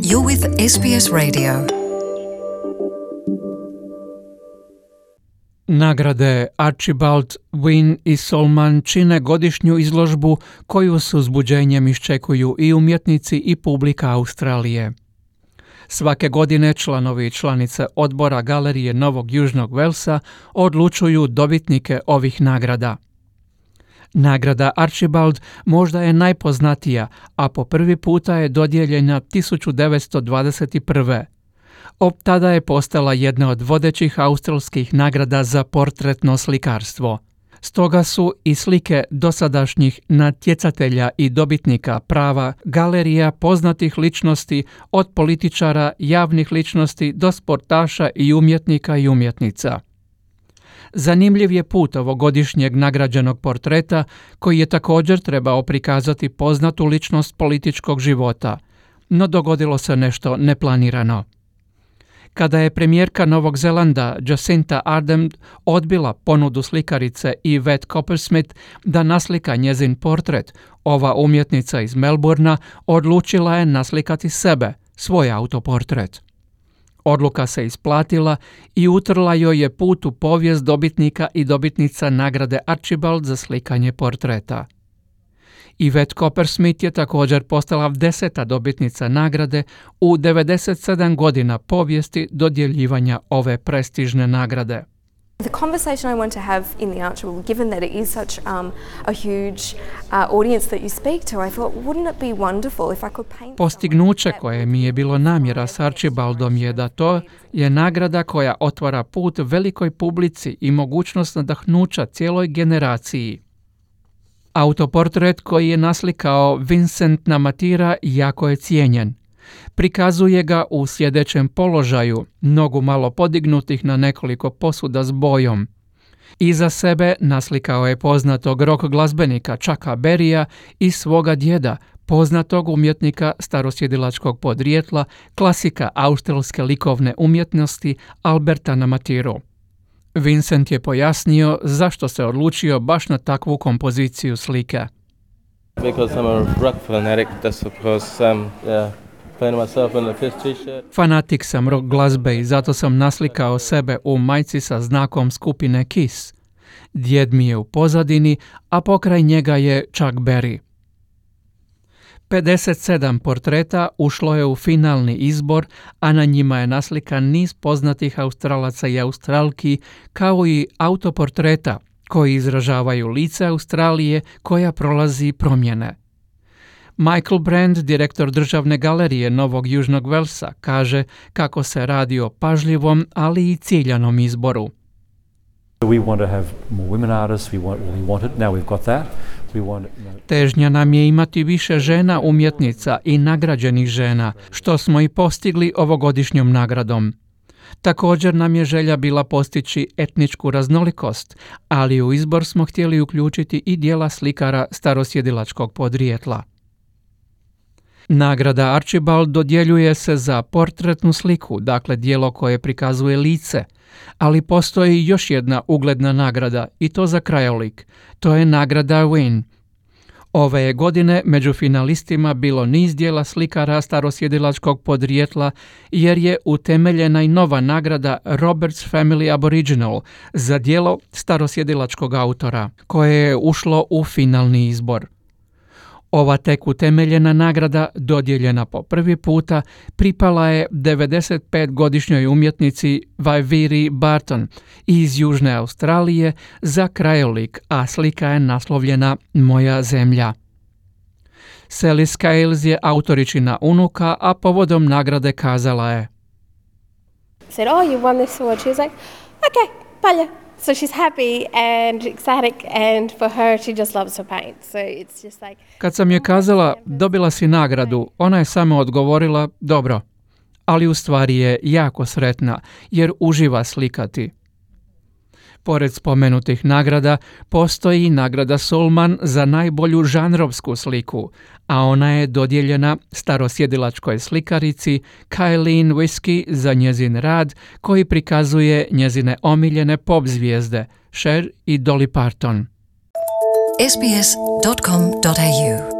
You're with SBS Radio. Nagrade Archibald, Wynne i Solman čine godišnju izložbu koju s uzbuđenjem iščekuju i umjetnici i publika Australije. Svake godine članovi i članice odbora Galerije Novog Južnog Velsa odlučuju dobitnike ovih nagrada. Nagrada Archibald možda je najpoznatija, a po prvi puta je dodijeljena 1921. Od tada je postala jedna od vodećih australskih nagrada za portretno slikarstvo. Stoga su i slike dosadašnjih natjecatelja i dobitnika prava galerija poznatih ličnosti, od političara, javnih ličnosti do sportaša i umjetnika i umjetnica. Zanimljiv je put ovogodišnjeg nagrađenog portreta, koji je također trebao prikazati poznatu ličnost političkog života, no dogodilo se nešto neplanirano. Kada je premijerka Novog Zelanda Jacinda Ardern odbila ponudu slikarice Yvette Coppersmith da naslika njezin portret, ova umjetnica iz Melbourna odlučila je naslikati sebe, svoj autoportret. Odluka se isplatila i utrla joj je put u povijest dobitnika i dobitnica nagrade Archibald za slikanje portreta. Yvette Coppersmith je također postala 10. dobitnica nagrade u 97 godina povijesti dodjeljivanja ove prestižne nagrade. The conversation I want to have in the Archibald, given that it is such a huge audience that you speak to, I thought, wouldn't it be wonderful if I could paint... Postignuće koje mi je bilo namjera s Archibaldom je da to je nagrada koja otvara put velikoj publici i mogućnost nadahnuća cijeloj generaciji. Autoportret koji je naslikao Vincent Namatjira jako je cijenjen. Prikazuje ga u sjedećem položaju, nogu malo podignutih na nekoliko posuda s bojom. Iza sebe naslikao je poznatog rock glazbenika Chucka Berrya i svoga djeda, poznatog umjetnika starosjedilačkog podrijetla, klasika australske likovne umjetnosti Alberta Namatjiru. Vincent je pojasnio zašto se odlučio baš na takvu kompoziciju slike. Because I'm a rock fanatic, that's of course playing myself in the Fish t-shirt. Fanatik sam rock glazbe i zato sam naslikao sebe u majci sa znakom skupine Kiss. Djed mi je u pozadini, a pokraj njega je Chuck Berry. 57 portreta ušlo je u finalni izbor, a na njima je naslikan niz poznatih Australaca i Australki, kao i autoportreta koji izražavaju lice Australije koja prolazi promjene. Michael Brand, direktor Državne galerije Novog Južnog Velsa, kaže kako se radi o pažljivom, ali i ciljanom izboru. We want to have more women artists, we want it, now we've got that. Težnja nam je imati više žena umjetnica i nagrađenih žena, što smo i postigli ovogodišnjom nagradom. Također nam je želja bila postići etničku raznolikost, ali u izbor smo htjeli uključiti i djela slikara starosjedilačkog podrijetla. Nagrada Archibald dodjeljuje se za portretnu sliku, dakle djelo koje prikazuje lice, ali postoji još jedna ugledna nagrada i to za krajolik. To je nagrada Wynne. Ove je godine među finalistima bilo niz djela slikara starosjedilačkog podrijetla, jer je utemeljena i nova nagrada Roberts Family Aboriginal za djelo starosjedilačkog autora, koje je ušlo u finalni izbor. Ova tek utemeljena nagrada, dodijeljena po prvi puta, pripala je 95-godišnjoj umjetnici Waiviri Barton iz Južne Australije za krajolik, a slika je naslovljena Moja zemlja. Sally Scales je autoričina unuka, a povodom nagrade kazala je: Said, "Oh, you won this award." She was like, "Okay, palja." So she's happy and ecstatic, and for her she just loves to paint. So it's just like... Kad sam je kazala dobila si nagradu, ona je samo odgovorila dobro, ali u stvari je jako sretna jer uživa slikati. Pored spomenutih nagrada, postoji nagrada Solman za najbolju žanrovsku sliku, a ona je dodijeljena starosjedilačkoj slikarici Kaylene Whisky za njezin rad koji prikazuje njezine omiljene pop zvijezde Cher i Dolly Parton. sbs.com.au